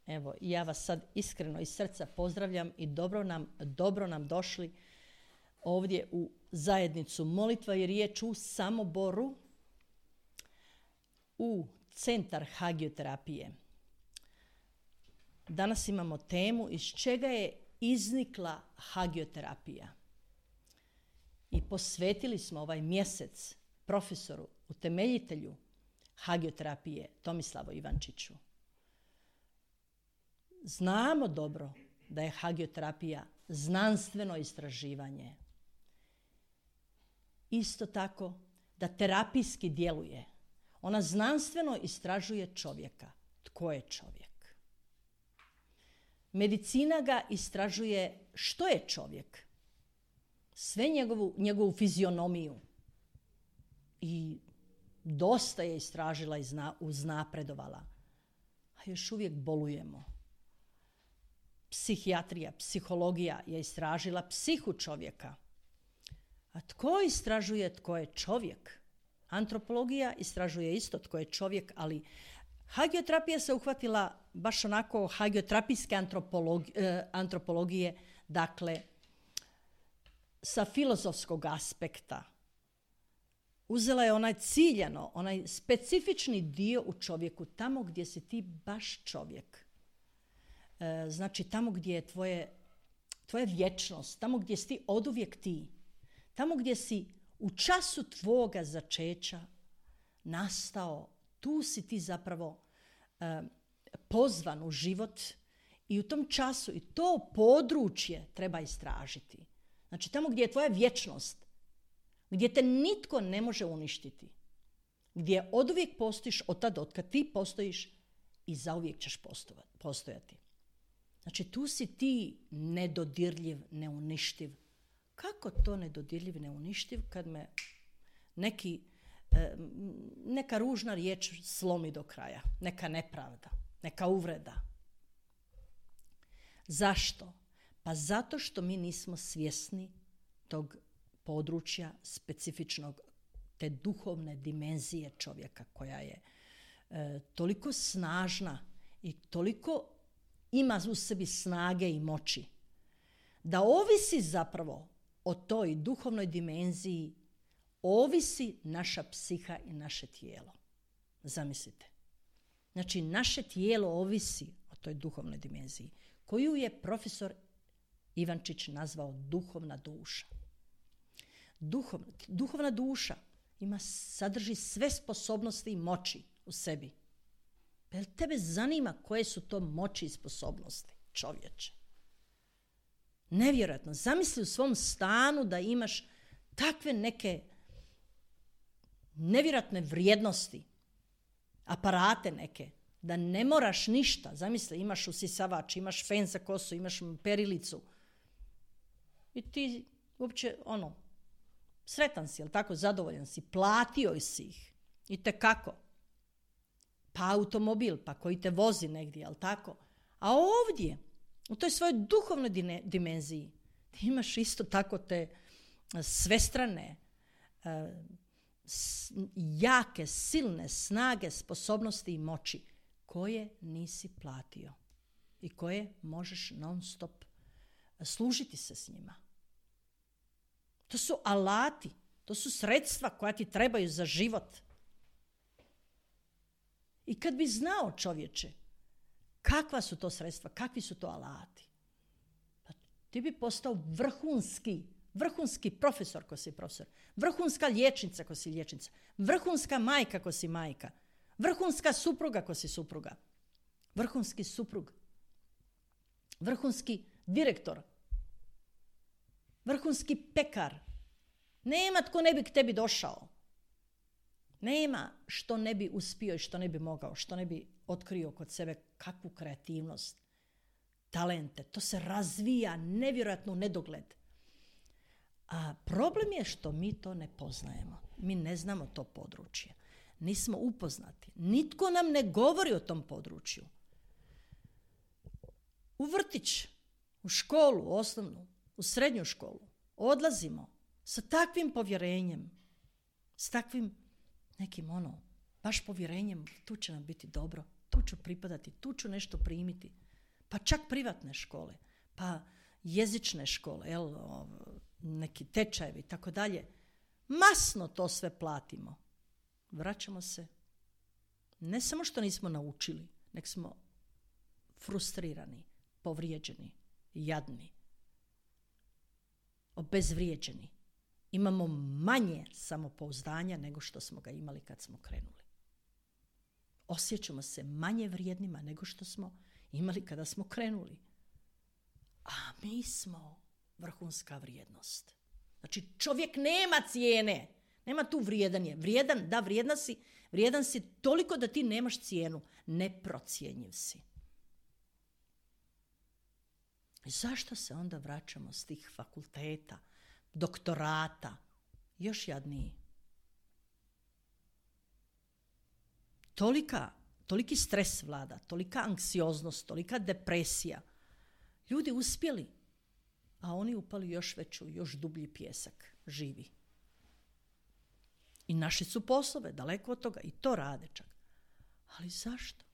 Evo, ja vas sad iskreno iz srca pozdravljam i dobro nam došli ovdje u zajednicu molitva je riječ u Samoboru, u centar hagioterapije. Danas imamo temu iz čega je iznikla hagioterapija. I posvetili smo ovaj mjesec profesoru, utemeljitelju hagioterapije Tomislavu Ivančiću. Znamo dobro da je hagioterapija znanstveno istraživanje. Isto tako da terapijski djeluje. Ona znanstveno istražuje čovjeka. Tko je čovjek? Medicina ga istražuje što je čovjek. Sve njegovu fizionomiju. I dosta je istražila i uznapredovala. A još uvijek bolujemo. Psihijatrija, psihologija je istražila psihu čovjeka. A tko istražuje tko je čovjek? Antropologija istražuje isto tko je čovjek, ali hagioterapija se uhvatila baš onako hagioterapijske antropologije, dakle, sa filozofskog aspekta. Uzela je onaj ciljano, onaj specifični dio u čovjeku, tamo gdje si ti baš čovjek. Znači tamo gdje je tvoja vječnost, tamo gdje si ti oduvijek ti, tamo gdje si u času tvoga začeća nastao, tu si ti zapravo pozvan u život i u tom času i to područje treba istražiti. Znači tamo gdje je tvoja vječnost, gdje te nitko ne može uništiti, gdje oduvijek postojiš od tada od kad ti postojiš i zauvijek ćeš postojati. Znači tu si ti nedodirljiv, neuništiv. Kako to nedodirljiv, neuništiv kad me neka ružna riječ slomi do kraja, neka nepravda, neka uvreda. Zašto? Pa zato što mi nismo svjesni tog područja specifičnog, te duhovne dimenzije čovjeka koja je toliko snažna i toliko ima u sebi snage i moći, da ovisi zapravo o toj duhovnoj dimenziji, ovisi naša psiha i naše tijelo. Zamislite. Znači, naše tijelo ovisi o toj duhovnoj dimenziji, koju je profesor Ivančić nazvao duhovna duša. Duhovna duša sadrži sve sposobnosti i moći u sebi. Jel tebe zanima koje su to moći i sposobnosti, čovječe? Nevjerojatno. Zamisli u svom stanu da imaš takve neke nevjerojatne vrijednosti, aparate neke, da ne moraš ništa. Zamisli, imaš usisavač, imaš fen za kosu, imaš perilicu. I ti uopće, sretan si, jel tako, zadovoljan si, platio si ih. I tekako. Pa automobil, pa koji te vozi negdje, jel tako? A ovdje, u toj svojoj duhovnoj dimenziji, ti imaš isto tako te svestrane, jake, silne snage, sposobnosti i moći koje nisi platio i koje možeš non stop služiti se s njima. To su alati, to su sredstva koja ti trebaju za život. I kad bi znao, čovječe, kakva su to sredstva, kakvi su to alati, pa ti bi postao vrhunski profesor ko si profesor, vrhunska liječnica ko si liječnica, vrhunska majka ko si majka, vrhunska supruga ko si supruga, vrhunski suprug, vrhunski direktor, vrhunski pekar. Nema tko ne bi k tebi došao. Nema što ne bi uspio i što ne bi mogao, što ne bi otkrio kod sebe kakvu kreativnost, talente. To se razvija nevjerojatno u nedogled. A problem je što mi to ne poznajemo. Mi ne znamo to područje. Nismo upoznati. Nitko nam ne govori o tom području. U vrtić, u školu, osnovnu, u srednju školu odlazimo sa takvim povjerenjem, s takvim nekim baš povjerenjem, tu će nam biti dobro, tu tu ću pripadati, tu ću nešto primiti. Pa čak privatne škole, pa jezične škole, neki tečajevi i tako dalje. Masno to sve platimo. Vraćamo se. Ne samo što nismo naučili, nek smo frustrirani, povrijeđeni, jadni, obezvrijeđeni. Imamo manje samopouzdanja nego što smo ga imali kad smo krenuli. Osjećamo se manje vrijednima nego što smo imali kada smo krenuli. A mi smo vrhunska vrijednost. Znači, čovjek nema cijene. Nema tu vrijedan je. Vrijedan si toliko da ti nemaš cijenu. Neprocjenjiv si. I zašto se onda vraćamo s tih fakulteta, doktorata, još jadniji? Toliki stres vlada, tolika anksioznost, tolika depresija. Ljudi uspjeli, a oni upali još veću, još dublji pijesak, živi. I našli su poslove, daleko od toga, i to rade čak. Ali zašto?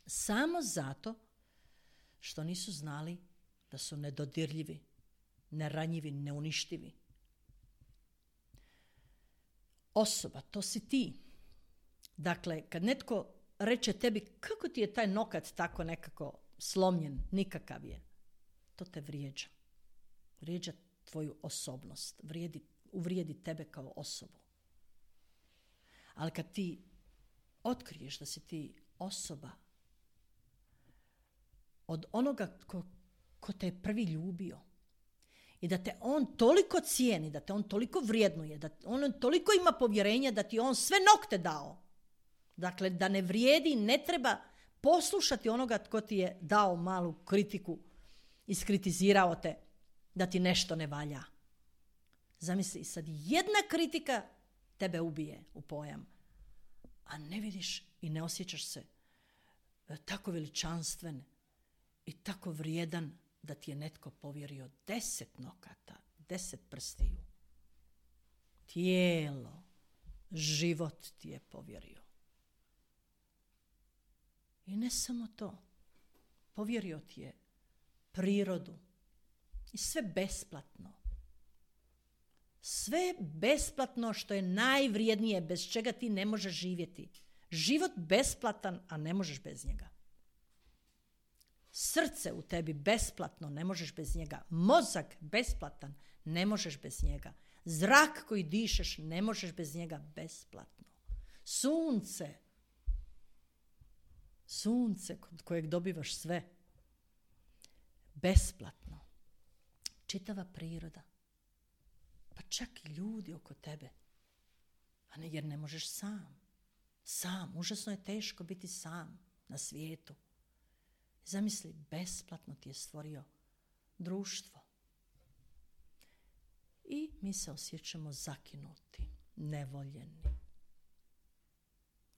Samo zato što nisu znali da su nedodirljivi, neranjivi, neuništivi. Osoba, to si ti. Dakle, kad netko reče tebi kako ti je taj nokat tako nekako slomljen, nikakav je, to te vrijeđa. Vrijeđa tvoju osobnost, uvrijedi tebe kao osobu. Ali kad ti otkriješ da si ti osoba od onoga ko te je prvi ljubio i da te on toliko cijeni, da te on toliko vrijednuje, da on toliko ima povjerenja da ti on sve nokte dao. Dakle, da ne vrijedi, ne treba poslušati onoga tko ti je dao malu kritiku, iskritizirao te da ti nešto ne valja. Zamisli, sad jedna kritika tebe ubije u pojam, a ne vidiš i ne osjećaš se tako veličanstven i tako vrijedan da ti je netko povjerio 10 nokata, 10 prstiju. Tijelo, život ti je povjerio. I ne samo to, povjerio ti je prirodu i sve besplatno. Sve besplatno što je najvrijednije, bez čega ti ne možeš živjeti. Život besplatan, a ne možeš bez njega. Srce u tebi besplatno, ne možeš bez njega. Mozak besplatan, ne možeš bez njega. Zrak koji dišeš, ne možeš bez njega, besplatno. Sunce kod kojeg dobivaš sve, besplatno. Čitava priroda, pa čak i ljudi oko tebe, a ne, jer ne možeš sam, užasno je teško biti sam na svijetu. Zamisli, besplatno ti je stvorio društvo. I mi se osjećamo zakinuti, nevoljeni,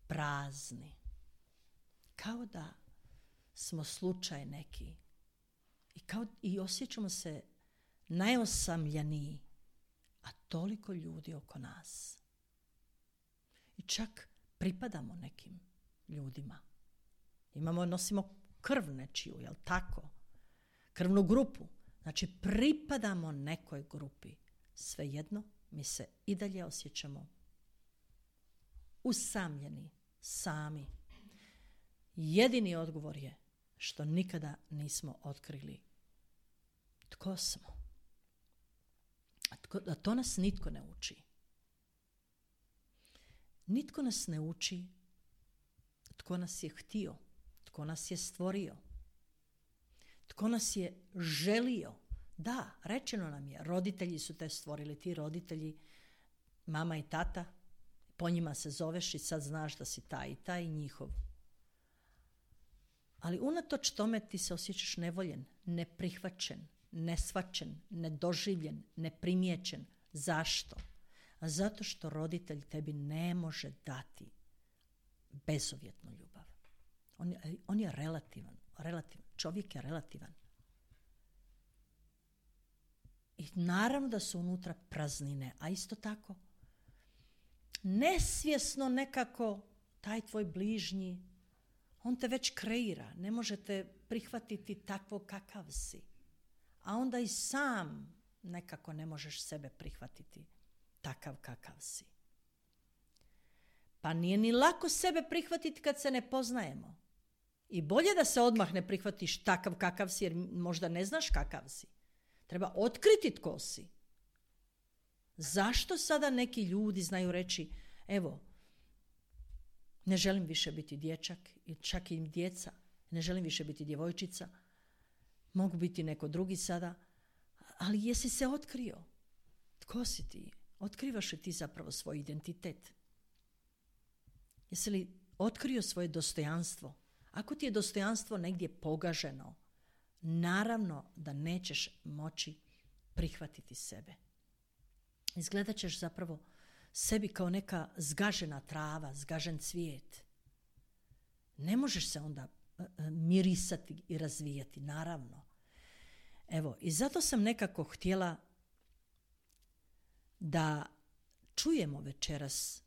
prazni, kao da smo slučaj neki i osjećamo se najosamljeniji, a toliko ljudi oko nas. I čak pripadamo nekim ljudima. Nosimo krv nečiju, jel tako? Krvnu grupu. Znači, pripadamo nekoj grupi. Svejedno, mi se i dalje osjećamo usamljeni, sami. Jedini odgovor je što nikada nismo otkrili tko smo. A to nas nitko ne uči. Nitko nas ne uči tko nas je htio, tko nas je stvorio, tko nas je želio. Da, rečeno nam je, roditelji su te stvorili, ti roditelji, mama i tata, po njima se zoveš i sad znaš da si taj i njihov. Ali unatoč tome ti se osjećaš nevoljen, neprihvaćen, neshvaćen, nedoživljen, neprimjećen. Zašto? A zato što roditelj tebi ne može dati bezuvjetnu ljubav. On je relativan. Čovjek je relativan. I naravno da su unutra praznine, a isto tako nesvjesno nekako taj tvoj bližnji On te već kreira, ne možete prihvatiti takvo kakav si. A onda i sam nekako ne možeš sebe prihvatiti takav kakav si. Pa nije ni lako sebe prihvatiti kad se ne poznajemo. I bolje da se odmah ne prihvatiš takav kakav si, jer možda ne znaš kakav si. Treba otkriti tko si. Zašto sada neki ljudi znaju reći, evo, ne želim više biti dječak, čak i djeca, ne želim više biti djevojčica, mogu biti neko drugi sada, ali jesi se otkrio? Tko si ti? Otkrivaš li ti zapravo svoj identitet? Jesi li otkrio svoje dostojanstvo? Ako ti je dostojanstvo negdje pogaženo, naravno da nećeš moći prihvatiti sebe. Izgledat ćeš zapravo sebi kao neka zgažena trava, zgažen cvijet. Ne možeš se onda mirisati i razvijati, naravno. Evo, i zato sam nekako htjela da čujemo večeras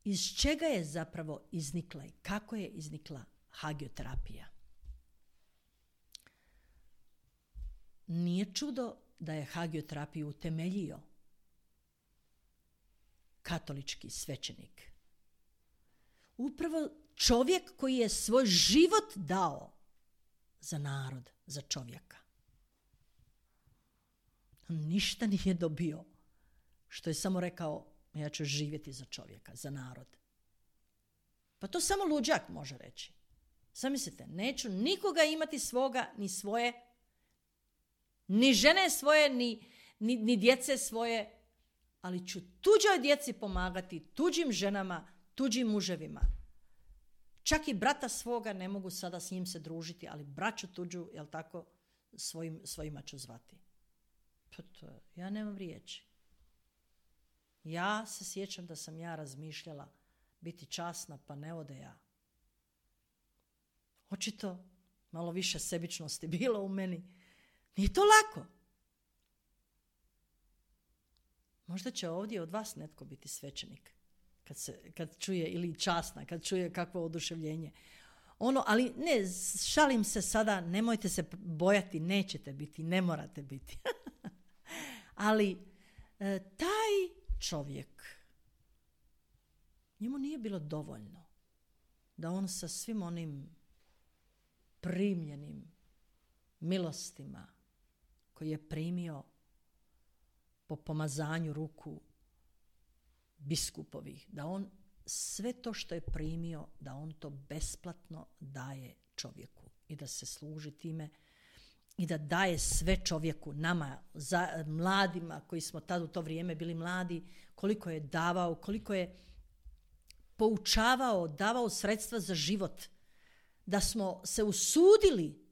iz čega je zapravo iznikla i kako je iznikla hagioterapija. Nije čudo da je hagioterapiju utemeljio katolički svećenik. Upravo čovjek koji je svoj život dao za narod, za čovjeka. On ništa nije dobio, što je samo rekao, ja ću živjeti za čovjeka, za narod. Pa to samo luđak može reći. Zamislite, neću nikoga imati svoga, ni svoje, ni žene svoje, ni djece svoje, ali ću tuđoj djeci pomagati, tuđim ženama, tuđim muževima. Čak i brata svoga ne mogu sada s njim se družiti, ali braću tuđu, jel tako, svojima ću zvati. Pa to, ja nemam riječi. Ja se sjećam da sam ja razmišljala biti časna, pa ne ode ja. Očito malo više sebičnosti bilo u meni. Nije to lako. Možda će ovdje od vas netko biti svećenik kad čuje, ili časna, kad čuje kakvo oduševljenje. Ali ne, šalim se sada, nemojte se bojati, nećete biti, ne morate biti. Ali taj čovjek, njemu nije bilo dovoljno da on sa svim onim primljenim milostima koji je primio po pomazanju ruku biskupovih, da on sve to što je primio, da on to besplatno daje čovjeku i da se služi time i da daje sve čovjeku, nama, mladima koji smo tad u to vrijeme bili mladi, koliko je davao, koliko je poučavao, davao sredstva za život, da smo se usudili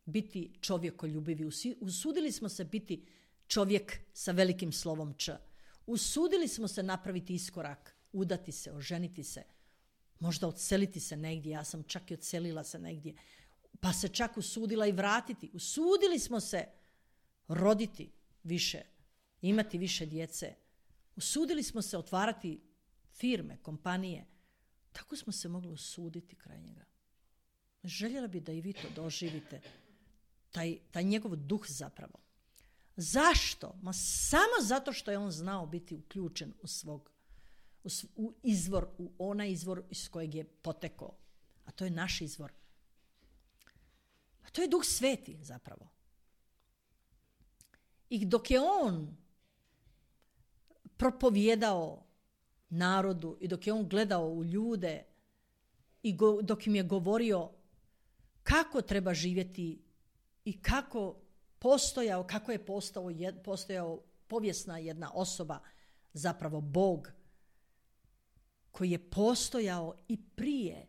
biti čovjekoljubivi, usudili smo se biti čovjek sa velikim slovom Č. Usudili smo se napraviti iskorak, udati se, oženiti se, možda odseliti se negdje, ja sam čak i odselila se negdje, pa se čak usudila i vratiti. Usudili smo se roditi više, imati više djece. Usudili smo se otvarati firme, kompanije. Tako smo se mogli usuditi kraj njega. Željela bi da i vi to doživite, taj njegov duh zapravo. Zašto? Samo zato što je on znao biti uključen u izvor, u onaj izvor iz kojeg je potekao. A to je naš izvor. A to je Duh Sveti zapravo. I dok je on propovijedao narodu i dok je on gledao u ljude i dok im je govorio kako treba živjeti i kako je postojao povijesna jedna osoba, zapravo Bog, koji je postojao i prije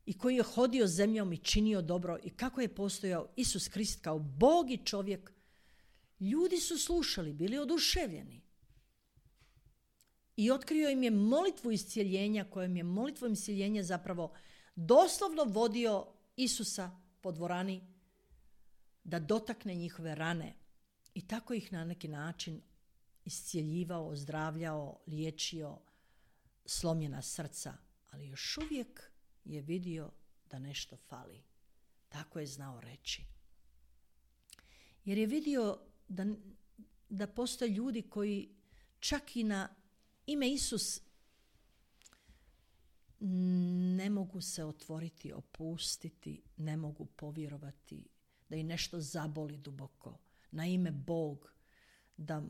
i koji je hodio zemljom i činio dobro i kako je postojao Isus Krist kao Bog i čovjek, ljudi su slušali, bili oduševljeni. I otkrio im je molitvu iscijeljenja, kojom je molitvom iscijeljenja zapravo doslovno vodio Isusa po dvorani da dotakne njihove rane i tako ih na neki način iscijeljivao, ozdravljao, liječio slomljena srca, ali još uvijek je vidio da nešto fali. Tako je znao reći. Jer je vidio da postoje ljudi koji čak i na ime Isus ne mogu se otvoriti, opustiti, ne mogu povjerovati, da ih nešto zaboli duboko. Na ime Bog, da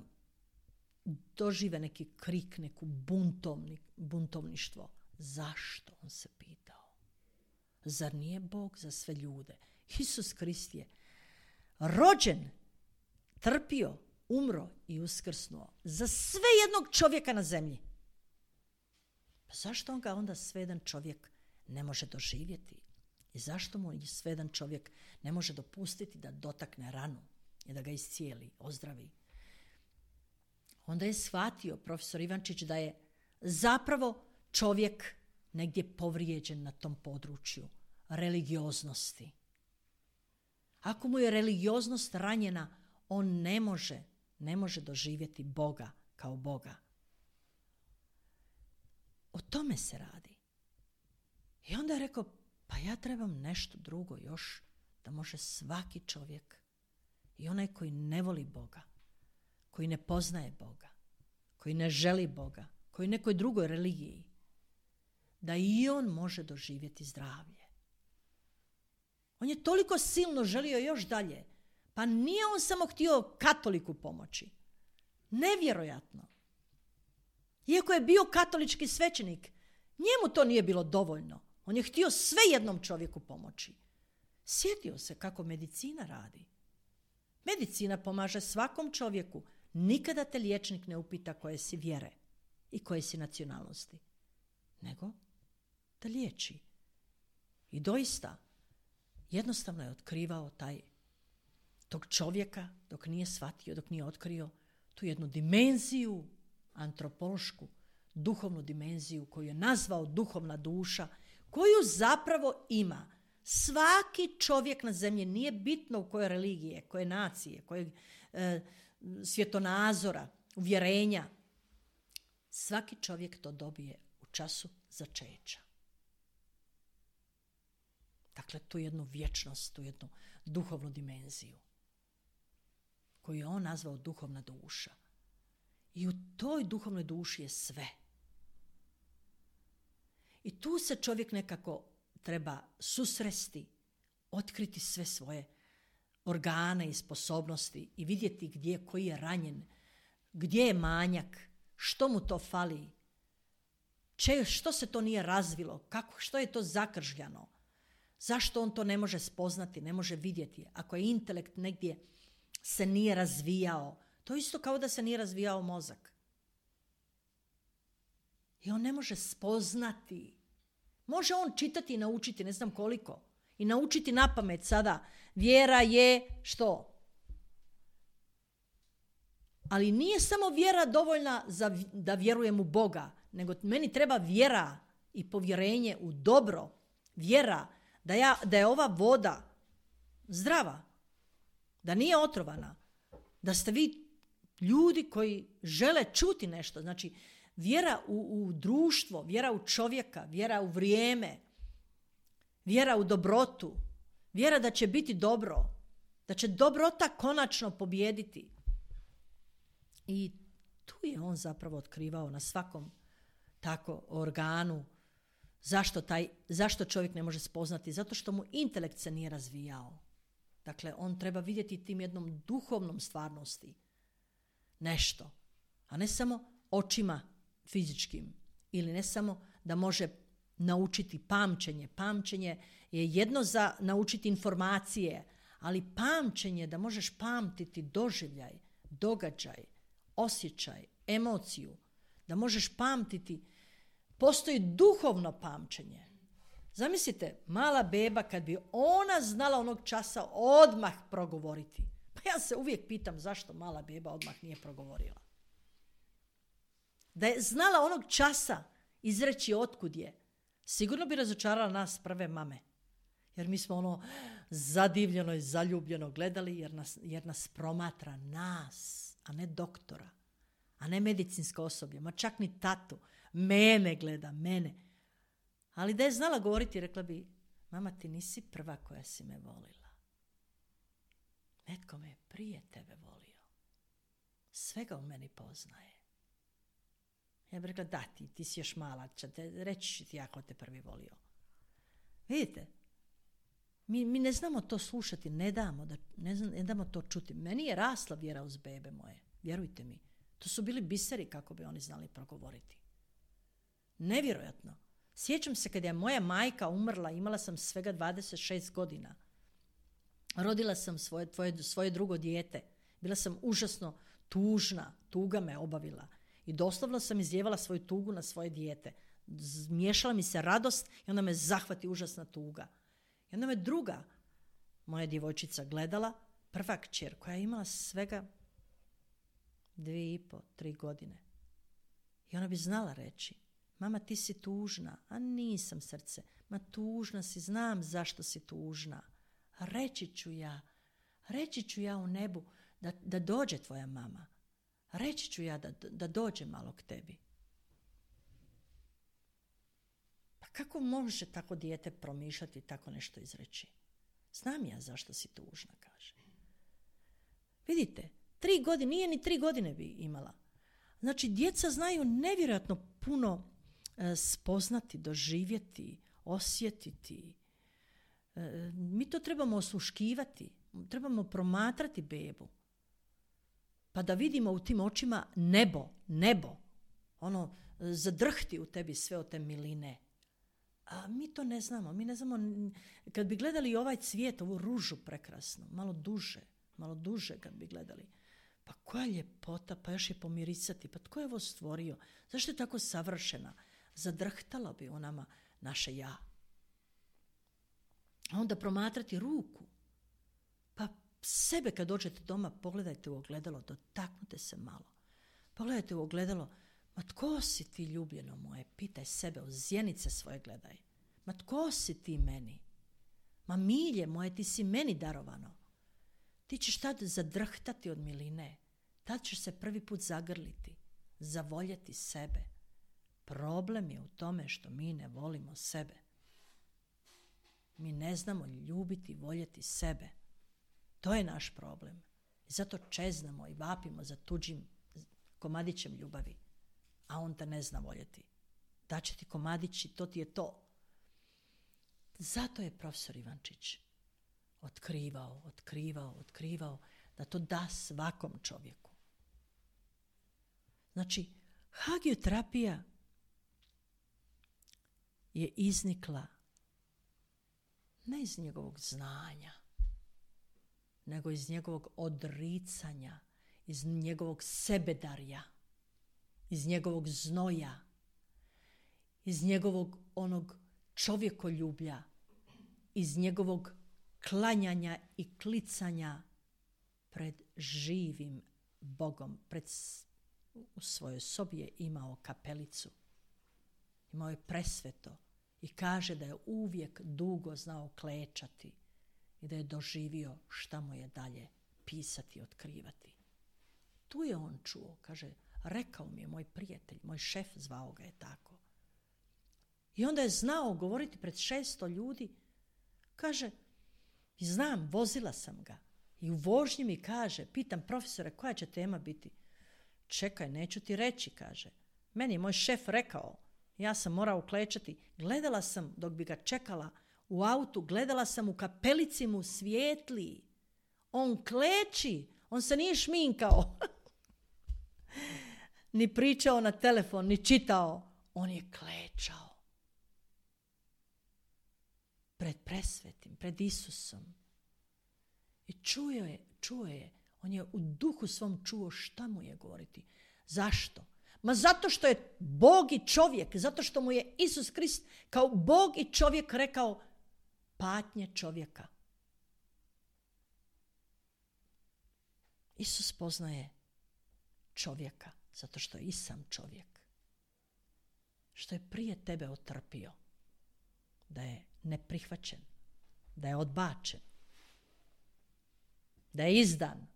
dožive neki krik, neku buntovništvo. Zašto? On se pitao. Zar nije Bog za sve ljude? Isus Krist je rođen, trpio, umro i uskrsnuo za sve jednog čovjeka na zemlji. Pa zašto on ga onda svedan čovjek ne može doživjeti? I zašto mu svedan čovjek ne može dopustiti da dotakne ranu i da ga iscijeli, ozdravi? Onda je shvatio profesor Ivančić da je zapravo čovjek negdje povrijeđen na tom području religioznosti. Ako mu je religioznost ranjena, on ne može doživjeti Boga kao Boga. O tome se radi. I onda je rekao, pa ja trebam nešto drugo još da može svaki čovjek, i onaj koji ne voli Boga, koji ne poznaje Boga, koji ne želi Boga, koji nekoj drugoj religiji, da i on može doživjeti zdravlje. On je toliko silno želio još dalje. Pa nije on samo htio katoliku pomoći. Nevjerojatno. Iako je bio katolički svećenik, njemu to nije bilo dovoljno. On je htio sve jednom čovjeku pomoći. Sjetio se kako medicina radi. Medicina pomaže svakom čovjeku. Nikada te liječnik ne upita koje si vjere i koje si nacionalnosti. Nego da liječi. I doista, jednostavno je otkrivao tog čovjeka dok nije shvatio, dok nije otkrio tu jednu dimenziju antropološku, duhovnu dimenziju koju je nazvao duhovna duša, koju zapravo ima svaki čovjek na zemlji, nije bitno u koje religije, koje nacije, kojeg svjetonazora, uvjerenja. Svaki čovjek to dobije u času začeća. Dakle, tu jednu vječnost, tu jednu duhovnu dimenziju koju je on nazvao duhovna duša. I u toj duhovnoj duši je sve. I tu se čovjek nekako treba susresti, otkriti sve svoje organe i sposobnosti i vidjeti koji je ranjen, gdje je manjak, što mu to fali, što se to nije razvilo, što je to zakržljano, zašto on to ne može spoznati, ne može vidjeti. Ako je intelekt negdje se nije razvijao, to je isto kao da se nije razvijao mozak. I on ne može spoznati. Može on čitati i naučiti, ne znam koliko. I naučiti napamet sada. Vjera je što? Ali nije samo vjera dovoljna da vjerujem u Boga, nego meni treba vjera i povjerenje u dobro. Vjera da je ova voda zdrava, da nije otrovana, da ste vi ljudi koji žele čuti nešto. Znači, vjera u društvo, vjera u čovjeka, vjera u vrijeme, vjera u dobrotu, vjera da će biti dobro, da će dobrota konačno pobijediti. I tu je on zapravo otkrivao na svakom tako organu zašto čovjek ne može spoznati, zato što mu intelekt se nije razvijao. Dakle, on treba vidjeti tim jednom duhovnom stvarnosti nešto, a ne samo očima fizičkim ili ne samo da može naučiti pamćenje. Pamćenje je jedno za naučiti informacije, ali pamćenje da možeš pamtiti doživljaj, događaj, osjećaj, emociju, da možeš pamtiti. Postoji duhovno pamćenje. Zamislite, mala beba kad bi ona znala onog časa odmah progovoriti. Pa ja se uvijek pitam zašto mala beba odmah nije progovorila. Da je znala onog časa izreći otkud je, sigurno bi razočarala nas prve mame. Jer mi smo zadivljeno i zaljubljeno gledali jer nas promatra nas, a ne doktora, a ne medicinsko osoblje, ma čak ni tatu. Mene gleda, mene. Ali da je znala govoriti, rekla bi, mama, ti nisi prva koja si me volila. Netko me je prije tebe volio. Svega u meni poznaje. Ja bih rekla, da, ti si još mala, reći ću ti ja ko te prvi volio. Vidite, mi ne znamo to slušati, ne damo to čuti. Meni je rasla vjera uz bebe moje, vjerujte mi. To su bili biseri kako bi oni znali progovoriti. Nevjerojatno. Sjećam se kad je moja majka umrla, imala sam svega 26 godina. Rodila sam svoje drugo dijete. Bila sam užasno tužna, tuga me obavila. I doslovno sam izljevala svoju tugu na svoje dijete. Miješala mi se radost i onda me zahvati užasna tuga. I onda me druga moja djevojčica gledala, prva kćer koja je imala svega 2,5, 3 godine. I ona bi znala reći, mama, ti si tužna. A nisam, srce. Ma tužna si, znam zašto si tužna. Reći ću ja u nebu da dođe tvoja mama. Reći ću ja da dođe malo k tebi. Pa kako može tako dijete promišljati, tako nešto izreći? Znam ja zašto si tužna, kaže. Vidite, 3 godine, nije ni 3 godine bi imala. Znači, djeca znaju nevjerojatno puno spoznati, doživjeti, osjetiti. Mi to trebamo osluškivati, trebamo promatrati bebu. Pa da vidimo u tim očima nebo. Ono, zadrhti u tebi sve od te miline. A mi to ne znamo. Mi ne znamo, kad bi gledali ovaj cvijet, ovu ružu prekrasnu, malo duže kad bi gledali. Pa koja ljepota, pa još je pomirisati. Pa tko je ovo stvorio? Zašto je tako savršena? Zadrhtalo bi u nama naše ja. A onda promatrati ruku. Pa sebe kad dođete doma, pogledajte u ogledalo, dotaknite se malo. Pogledajte u ogledalo, ma tko si ti, ljubljeno moje? Pitaj sebe, u zjenice svoje gledaj. Ma tko si ti meni? Ma milje moje, ti si meni darovano. Ti ćeš tad zadrhtati od miline. Tad ćeš se prvi put zagrliti, zavoljeti sebe. Problem je u tome što mi ne volimo sebe. Mi ne znamo ljubiti, voljeti sebe. To je naš problem. I zato čeznamo i vapimo za tuđim komadićem ljubavi. A on te ne zna voljeti. Daće ti komadići, to ti je to. Zato je profesor Ivančić otkrivao da to da svakom čovjeku. Znači, hagioterapija je iznikla ne iz njegovog znanja, nego iz njegovog odricanja, iz njegovog sebedarja, iz njegovog znoja, iz njegovog onog čovjekoljublja, iz njegovog klanjanja i klicanja pred živim Bogom. U svojoj sobi je imao kapelicu, imao je presveto i kaže da je uvijek dugo znao klečati i da je doživio šta mu je dalje pisati i otkrivati. Tu je on čuo, kaže, rekao mi je moj prijatelj, moj šef, zvao ga je tako. I onda je znao govoriti pred 600 ljudi, kaže, znam, vozila sam ga. I u vožnji mi kaže, pitam profesore, koja će tema biti? Čekaj, neću ti reći, kaže. Meni je moj šef rekao, ja sam morao klečati. Gledala sam, dok bi ga čekala u autu, gledala sam u kapelici mu svijetli. On kleči, on se nije šminkao. Ni pričao na telefon, ni čitao. On je klečao. Pred presvetim, pred Isusom. I čuo je. On je u duhu svom čuo šta mu je govoriti. Zašto? Ma zato što je Bog i čovjek, zato što mu je Isus Krist kao Bog i čovjek rekao patnje čovjeka. Isus poznaje čovjeka zato što je i sam čovjek. Što je prije tebe otrpio. Da je neprihvaćen, da je odbačen, da je izdan,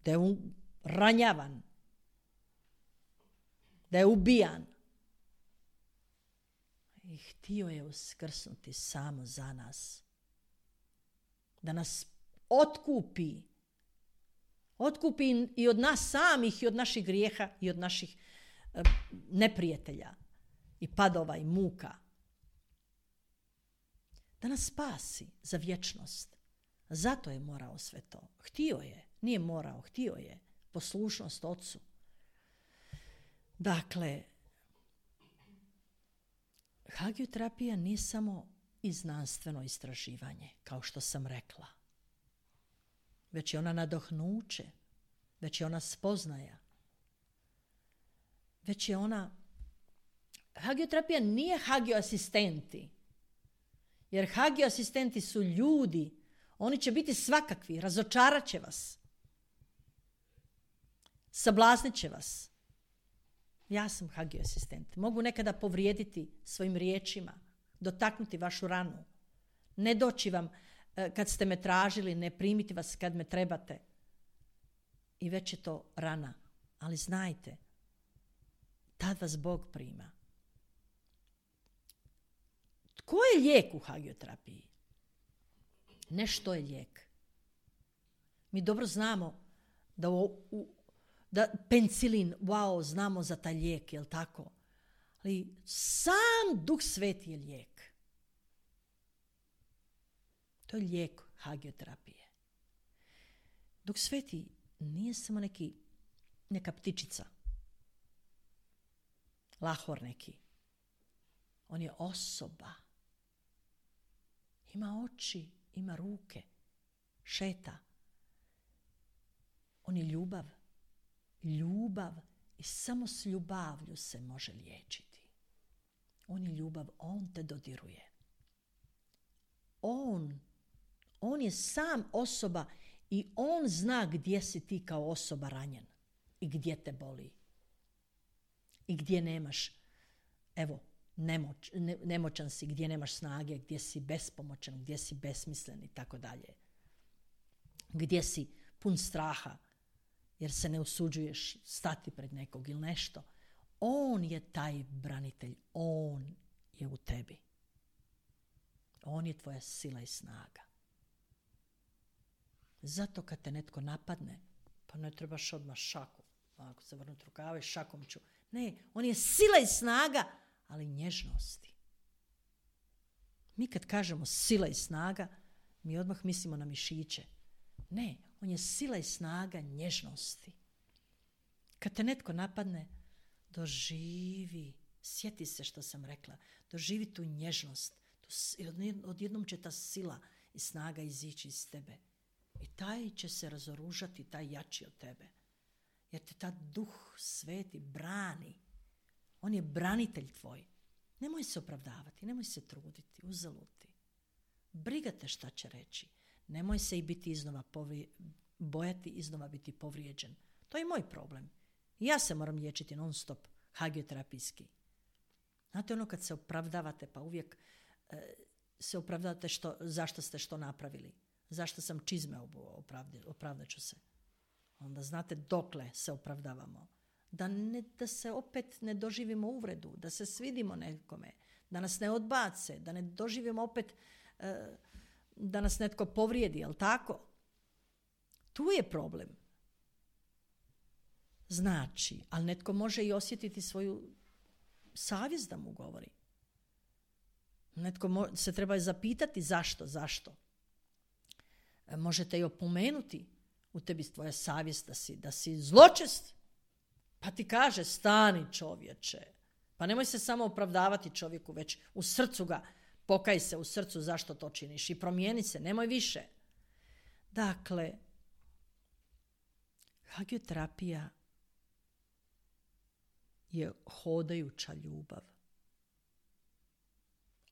da je ranjavan, da je ubijan. I htio je uskrsnuti samo za nas. Da nas otkupi. Otkupi i od nas samih, i od naših grijeha, i od naših neprijatelja, i padova, i muka. Da nas spasi za vječnost. Zato je morao sve to. Htio je. Nije morao, htio je. Poslušnost Ocu. Dakle, hagioterapija nije samo i znanstveno istraživanje, kao što sam rekla. Već je ona nadohnuće, već je ona spoznaja. Već je ona... Hagioterapija nije hagioasistenti. Jer hagioasistenti su ljudi. Oni će biti svakakvi, razočarat će vas. Sablaznit će vas. Ja sam hagioasistent. Mogu nekada povrijediti svojim riječima, dotaknuti vašu ranu, ne doći vam kad ste me tražili, ne primiti vas kad me trebate. I već je to rana. Ali znajte, tad vas Bog prima. Tko je lijek u hagioterapiji? Ne što je lijek. Mi dobro znamo da penicilin, wow, znamo za taj lijek, jel tako? Ali sam Duh Sveti je lijek. To je lijek hagioterapije. Duh Sveti nije samo neka ptičica. Lahor neki. On je osoba. Ima oči, ima ruke. Šeta. On je ljubav. Ljubav. I samo s ljubavlju se može liječiti. On je ljubav. On te dodiruje. On je sam osoba i on zna gdje si ti kao osoba ranjen. I gdje te boli. I gdje nemaš, evo, nemoćan si, gdje nemaš snage, gdje si bespomoćan, gdje si besmislen i tako dalje. Gdje si pun straha, jer se ne usuđuješ stati pred nekog ili nešto. On je taj branitelj, on je u tebi. On je tvoja sila i snaga. Zato kad te netko napadne, pa ne trebaš odmah šaku. Ako se vrnuti rukave, šakom ću. Ne, on je sila i snaga, ali nježnosti. Mi kad kažemo sila i snaga, mi odmah mislimo na mišiće. Ne, on je sila i snaga nježnosti. Kad te netko napadne, doživi, sjeti se što sam rekla, doživi tu nježnost. Odjednom će ta sila i snaga izići iz tebe. I taj će se razoružati, taj jači od tebe. Jer te ta Duh Sveti brani. On je branitelj tvoj. Nemoj se opravdavati, nemoj se truditi, uzaluti. Briga te šta će reći. Nemoj se i biti iznova bojati, iznova biti povrijeđen. To je moj problem. Ja se moram liječiti non stop, hagioterapijski. Znate ono kad se opravdavate, pa uvijek se opravdavate zašto ste što napravili. Zašto sam čizme opravdat ću se. Onda znate dokle se opravdavamo. Da se opet ne doživimo uvredu, da se svidimo nekome, da nas ne odbace, da ne doživimo opet da nas netko povrijedi, jel tako? Tu je problem. Znači, ali netko može i osjetiti svoju savjest da mu govori. Netko se treba zapitati zašto. Možete i opomenuti u tebi tvoja savjest da si zločest. Pa ti kaže, stani čovječe. Pa nemoj se samo opravdavati čovjeku, već u srcu ga, pokaj se u srcu zašto to činiš i promijeni se, nemoj više. Dakle, hagioterapija je hodajuća ljubav.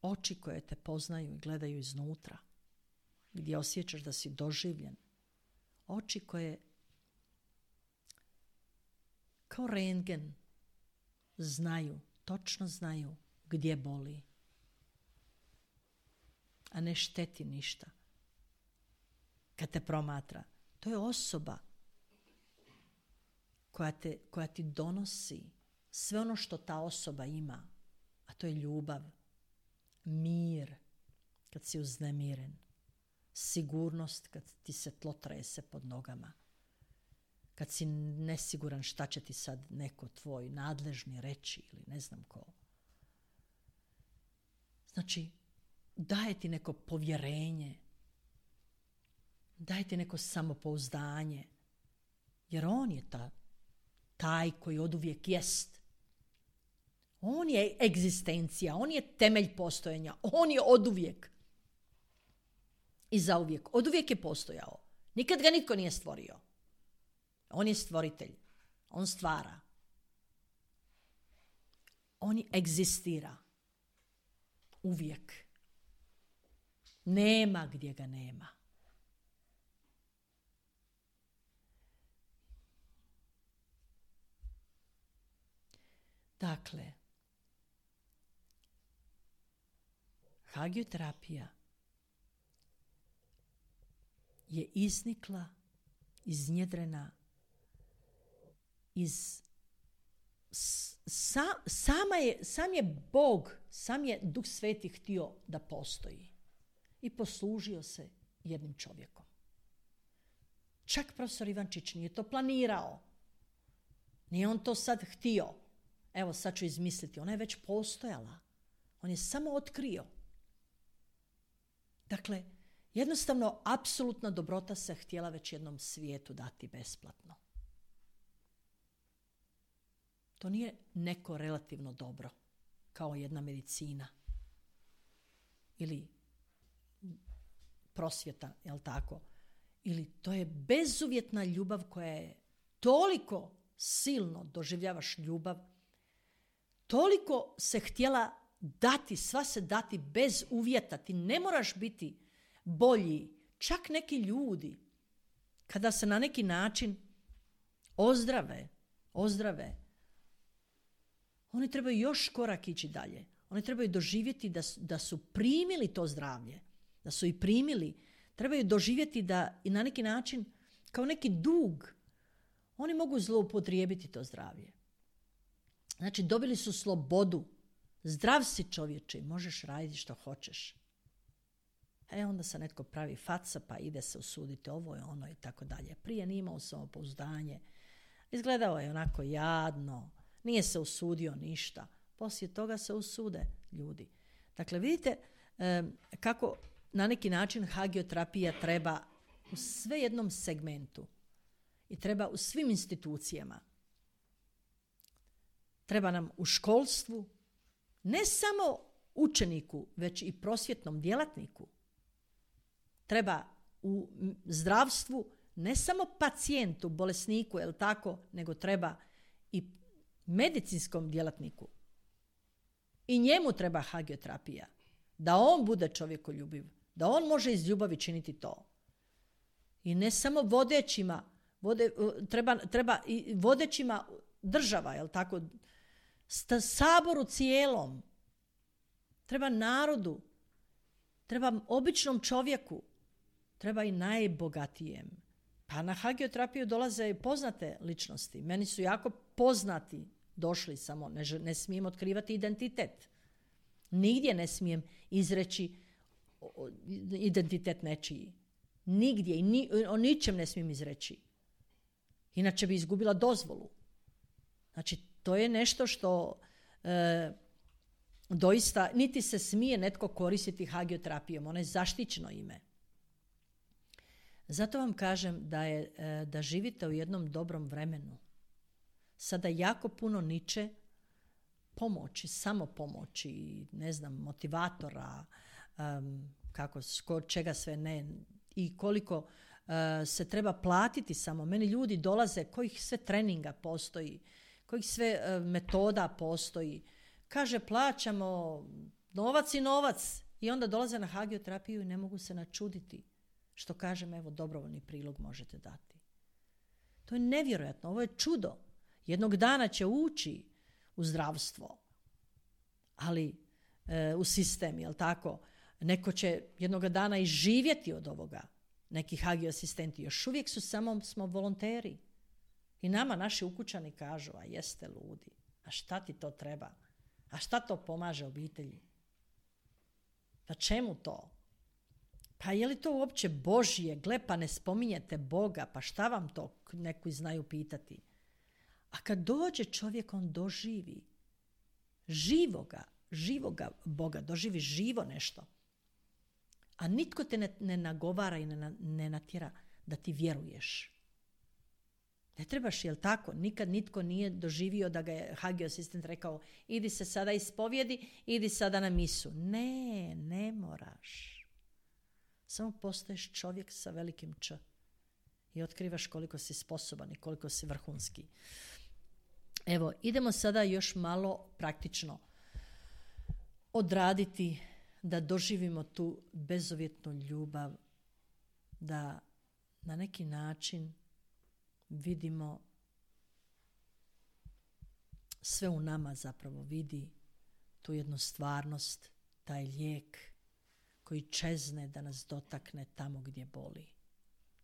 Oči koje te poznaju i gledaju iznutra, gdje osjećaš da si doživljen. Oči koje kao rentgen točno znaju gdje boli, a ne šteti ništa. Kad te promatra, to je osoba koja ti donosi sve ono što ta osoba ima, a to je ljubav, mir kad si uznemiren, sigurnost kad ti se tlo trese pod nogama, kad si nesiguran šta će ti sad neko tvoj nadležni reći ili ne znam ko. Znači, daje ti neko povjerenje, daje ti neko samopouzdanje, jer on je taj koji oduvijek jest. On je egzistencija, on je temelj postojanja, on je oduvijek i zauvijek. Oduvijek je postojao. Nikad ga nitko nije stvorio. On je stvoritelj. On stvara. On egzistira. Uvijek. Nema gdje ga nema. Dakle, hagioterapija je iznikla, iznjedrena iz sam je Bog, sam je Duh Sveti htio da postoji i poslužio se jednim čovjekom. Čak profesor Ivančić nije to planirao. Nije on to sad htio. Evo sad ću izmisliti. Ona je već postojala. On je samo otkrio. Dakle, jednostavno, apsolutna dobrota se htjela već jednom svijetu dati besplatno. To nije neko relativno dobro, kao jedna medicina ili prosvjeta, jel tako? Ili to je bezuvjetna ljubav koja je toliko silno doživljavaš ljubav, toliko se htjela dati, sva se dati bez uvjeta. Ti ne moraš biti bolji. Čak neki ljudi, kada se na neki način ozdrave, oni trebaju još korak ići dalje. Oni trebaju doživjeti da su primili to zdravlje, da su i primili. Trebaju doživjeti da i na neki način, kao neki dug, oni mogu zloupotrijebiti to zdravlje. Znači, dobili su slobodu. Zdrav si čovječe, možeš raditi što hoćeš. Onda se netko pravi faca, pa ide se usuditi ovo i ono i tako dalje. Prije nije imao samopouzdanje. Izgledao je onako jadno. Nije se usudio ništa. Poslije toga se usude ljudi. Dakle, vidite kako na neki način hagioterapija treba u sve jednom segmentu i treba u svim institucijama. Treba nam u školstvu, ne samo učeniku, već i prosvjetnom djelatniku. Treba u zdravstvu, ne samo pacijentu, bolesniku, jel tako, nego treba i medicinskom djelatniku. I njemu treba hagioterapija. Da on bude čovjekoljubiv, da on može iz ljubavi činiti to. I ne samo vodećima, treba i vodećima država, jel tako, saboru cijelom, treba narodu, treba običnom čovjeku, treba i najbogatijem. Pa na hagioterapiju dolaze i poznate ličnosti. Meni su jako poznati došli, samo ne smijem otkrivati identitet. Nigdje ne smijem izreći identitet nečiji. Nigdje i o ničem ne smijem izreći. Inače bi izgubila dozvolu. Znači, to je nešto što doista niti se smije netko koristiti hagioterapijom. Ono je zaštićeno ime. Zato vam kažem da živite u jednom dobrom vremenu. Sada jako puno niče pomoći, samopomoći, ne znam, motivatora, čega sve ne i koliko se treba platiti samo. Meni ljudi dolaze, kojih sve treninga postoji, kojih sve metoda postoji. Kaže, plaćamo novac i novac i onda dolaze na hagioterapiju i ne mogu se načuditi. Što kažem, evo, dobrovoljni prilog možete dati. To je nevjerojatno, ovo je čudo. Jednog dana će ući u zdravstvo, ali u sistem, jel tako? Neko će jednog dana i živjeti od ovoga. Neki hagio-asistenti još uvijek smo volonteri. I nama naši ukućani kažu, a jeste ludi, a šta ti to treba? A šta to pomaže obitelji? Pa čemu to? Pa je li to uopće Božje? Gle, pa ne spominjete Boga, pa šta vam to neki znaju pitati? A kad dođe čovjek, on doživi živoga Boga, doživi živo nešto. A nitko te ne nagovara i ne natjera da ti vjeruješ. Ne trebaš, jel tako? Nikad nitko nije doživio da ga je Hagio asistent rekao idi se sada ispovjedi, idi sada na misu. Ne moraš. Samo postaješ čovjek sa velikim Č i otkrivaš koliko si sposoban i koliko si vrhunski. Evo, idemo sada još malo praktično odraditi da doživimo tu bezuvjetnu ljubav, da na neki način vidimo sve u nama, zapravo vidi tu jednu stvarnost, taj lijek koji čezne da nas dotakne tamo gdje boli.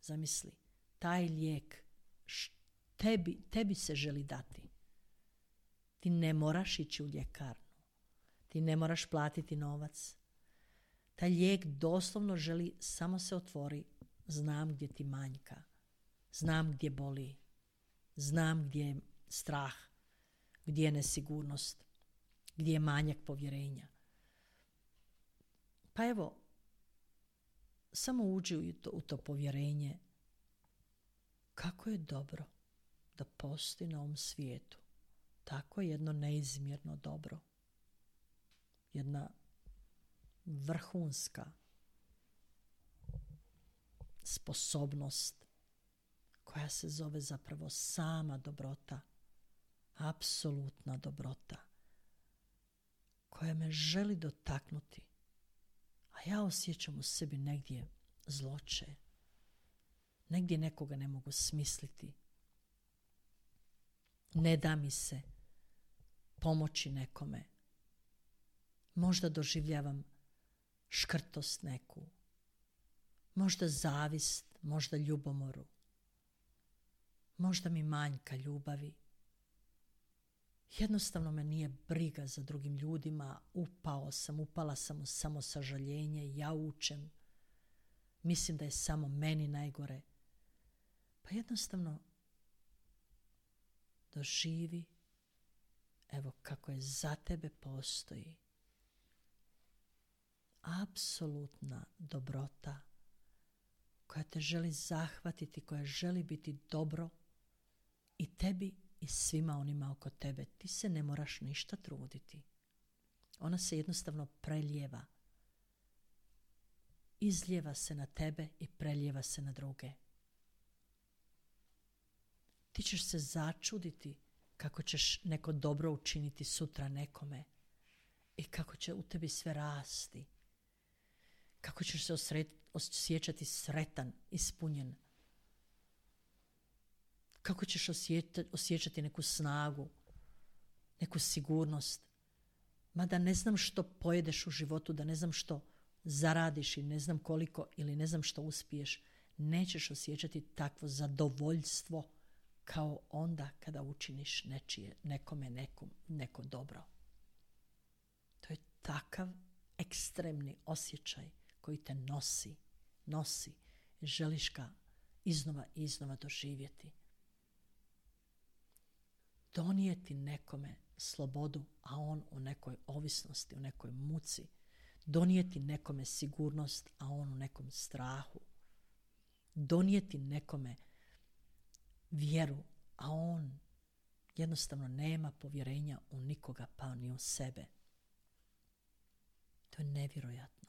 Zamisli, taj lijek tebi se želi dati. Ti ne moraš ići u ljekarnu. Ti ne moraš platiti novac. Taj lijek doslovno želi, samo se otvori, znam gdje ti manjka. Znam gdje boli. Znam gdje je strah. Gdje je nesigurnost. Gdje je manjak povjerenja. Pa evo, samo uđi u to povjerenje. Kako je dobro da postoji na ovom svijetu tako jedno neizmjerno dobro. Jedna vrhunska sposobnost koja se zove zapravo sama dobrota, apsolutna dobrota, koja me želi dotaknuti, a ja osjećam u sebi negdje zloće, negdje nekoga ne mogu smisliti, ne da mi se pomoći nekome, možda doživljavam škrtost neku, možda zavist, možda ljubomoru, možda mi manjka ljubavi. Jednostavno me nije briga za drugim ljudima, upala sam u samosažaljenje, jaučem, mislim da je samo meni najgore. Pa jednostavno doživi, evo kako je za tebe postoji apsolutna dobrota koja te želi zahvatiti, koja želi biti dobro i tebi i svima onima oko tebe. Ti se ne moraš ništa truditi. Ona se jednostavno preljeva. Izljeva se na tebe i preljeva se na druge. Ti ćeš se začuditi kako ćeš neko dobro učiniti sutra nekome i kako će u tebi sve rasti. Kako ćeš se osjećati sretan, ispunjen. Kako ćeš osjećati neku snagu, neku sigurnost. Mada ne znam što pojedeš u životu, da ne znam što zaradiš i ne znam koliko ili ne znam što uspiješ, nećeš osjećati takvo zadovoljstvo kao onda kada učiniš nekome neko dobro. To je takav ekstremni osjećaj koji te nosi. Želiš ga iznova i iznova doživjeti. Donijeti nekome slobodu, a on u nekoj ovisnosti, u nekoj muci. Donijeti nekome sigurnost, a on u nekom strahu. Donijeti nekome vjeru, a on jednostavno nema povjerenja u nikoga, pa ni u sebe. To je nevjerojatno.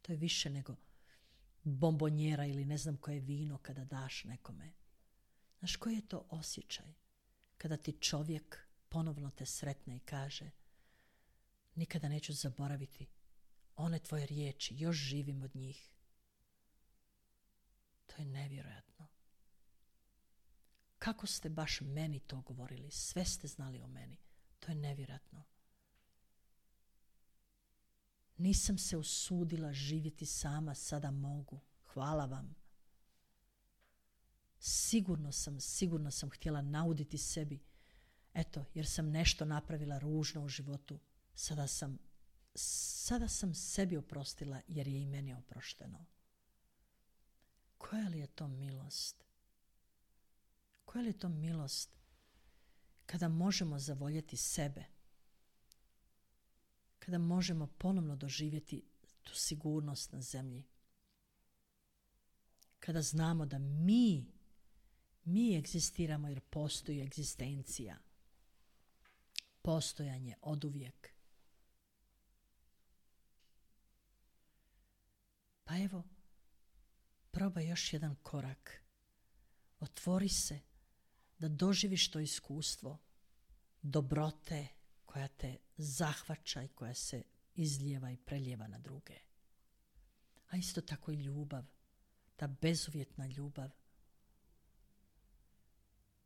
To je više nego bombonjera ili ne znam koje vino kada daš nekome. Znaš koji je to osjećaj? Kada ti čovjek ponovno te sretne i kaže nikada neću zaboraviti one tvoje riječi, još živim od njih. To je nevjerojatno. Kako ste baš meni to govorili? Sve ste znali o meni. To je nevjerojatno. Nisam se usudila živjeti sama, sada mogu. Hvala vam. Sigurno sam htjela nauditi sebi. Eto, jer sam nešto napravila ružno u životu. Sada sam sada sam sebi oprostila jer je i meni oprošteno. Koja li je to milost? Koja li je to milost kada možemo zavoljeti sebe? Kada možemo ponovno doživjeti tu sigurnost na zemlji? Kada znamo da mi egzistiramo jer postoji egzistencija. Postojanje oduvijek. Pa evo, probaj još jedan korak. Otvori se da doživiš to iskustvo dobrote koja te zahvaća i koja se izlijeva i preljeva na druge. A isto tako i ljubav, ta bezuvjetna ljubav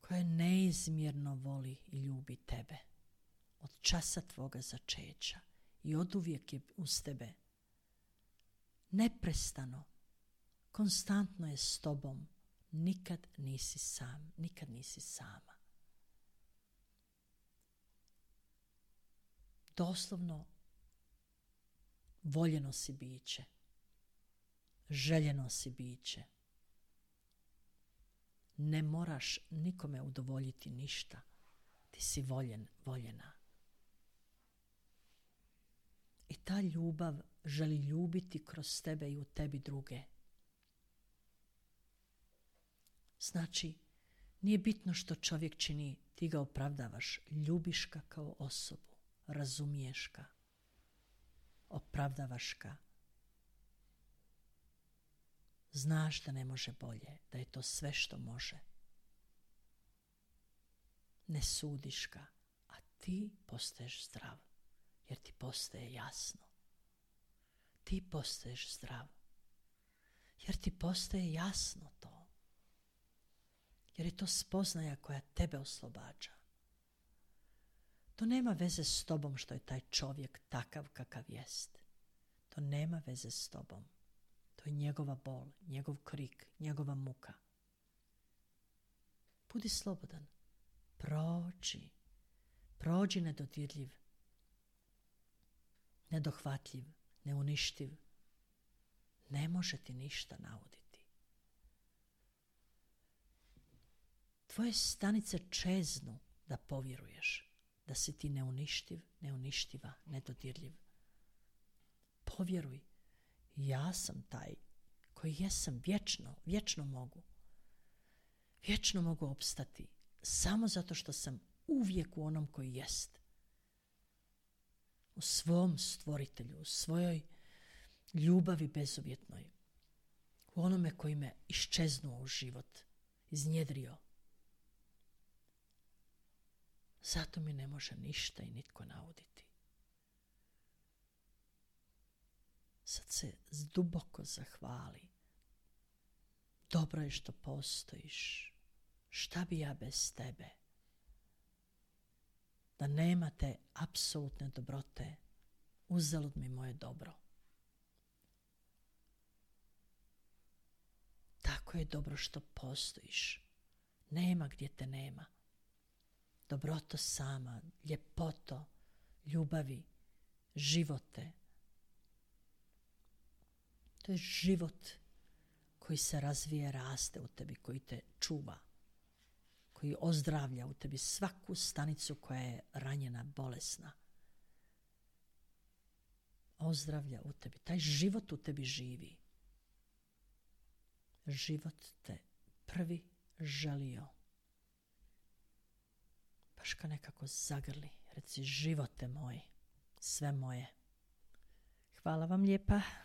koja neizmjerno voli i ljubi tebe od časa tvoga začeća i oduvijek je uz tebe. Neprestano, konstantno je s tobom. Nikad nisi sam, nikad nisi sama. Doslovno voljeno si biće, željeno si biće. Ne moraš nikome udovoljiti ništa. Ti si voljen, voljena. I ta ljubav želi ljubiti kroz tebe i u tebi druge. Znači, nije bitno što čovjek čini, ti ga opravdavaš, ljubiš ga kao osobu, razumiješ ga, opravdavaš ga. Znaš da ne može bolje, da je to sve što može. Ne sudiš ga, a ti postaješ zdrav, jer ti postaje jasno. Ti postaješ zdrav, jer ti postaje jasno to. Jer je to spoznaja koja tebe oslobađa. To nema veze s tobom što je taj čovjek takav kakav jest. To nema veze s tobom. To je njegova bol, njegov krik, njegova muka. Budi slobodan. Prođi nedodirljiv, nedohvatljiv, neuništiv. Ne može ti ništa nauditi. Tvoje stanice čeznu da povjeruješ da si ti neuništiv, neuništiva, nedodirljiv. Povjeruj, ja sam taj koji jesam vječno mogu. Vječno mogu opstati samo zato što sam uvijek u onom koji jest. U svom stvoritelju, u svojoj ljubavi bezuvjetnoj. U onome koji me iščeznuo u život, iznjedrio. Zato mi ne može ništa i nitko nauditi. Sad se duboko zahvali. Dobro je što postojiš. Šta bi ja bez tebe? Da nema te apsolutne dobrote, uzalud mi moje dobro. Tako je dobro što postojiš. Nema gdje te nema. Dobroto sama, ljepoto, ljubavi, živote. To je život koji se razvije, raste u tebi, koji te čuva, koji ozdravlja u tebi svaku stanicu koja je ranjena, bolesna. Ozdravlja u tebi. Taj život u tebi živi. Život te prvi želio. Baš ga nekako zagrli. Reci, živote moj, sve moje. Hvala vam lijepa.